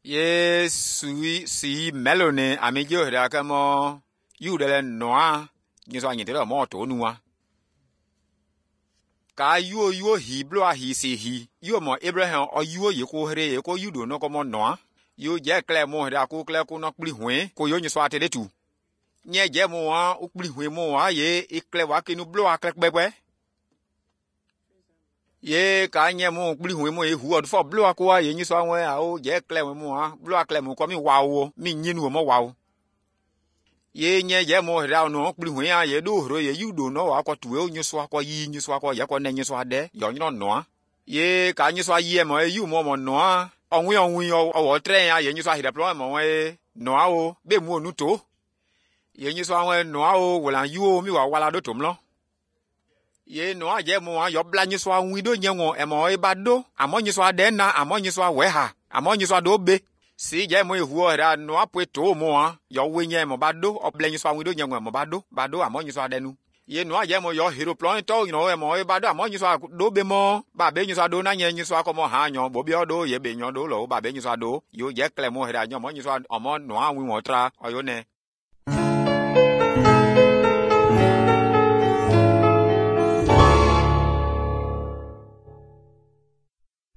Ye sui si melone amijo hra kamo yudele noa nyiso anyitele mo to nuwa. Ka yuo yuo hi bloa hi si hi yuo mo Abraham o yuo ye ko hre ye ko yudo no ko mo noa. Yo je kle mo hra ko kle ko no kpli hwe ko yo nyiso atele tu. Nye je mo wa o kpli hwe mo wa ye ikle wa kinu bloa kle kpekpe. Ye ka nye mo kpli hwe mo e hu odfo bloa ko wa ye nyiso anwe a o je kle mo wa bloa kle mo ko mi wa wo mi nyinu mo wa wo. Ye nye je mo hra no kpli hwe ya ye do hro ye yudo no wa ko tuwe o nyiso akọ yi nyiso akọ ye ko ne nyiso ade yo nyro noa. Ye ka nyiso ayi mo e yu mo mo noa onwi onwi owo tre ya ye nyiso ahire plo mo we noa o be mu onu to. Ye nyiso anwe noa o wala yu o mi wa wala do tomlo. Ye noa je mo yo bla nyiso anwi do nyenwo e mo e ba do amo nyiso ade na amo nyiso awe ha amo nyiso ado be. Si je mo ehu ora noa pwe to mo a yo we nye mo ba do obla nyiso anwi do nyenwo mo ba do ba do amo nyiso ade nu. Ye noa je mo yo hero plan to you know e mo e ba do amo nyiso do be mo ba be nyiso ado na nye nyiso akomo ha nyo bo bi odo ye be nyo do lo ba be nyiso ado yo je kle mo hera nyo mo nyiso omo noa anwi wo tra oyo ne.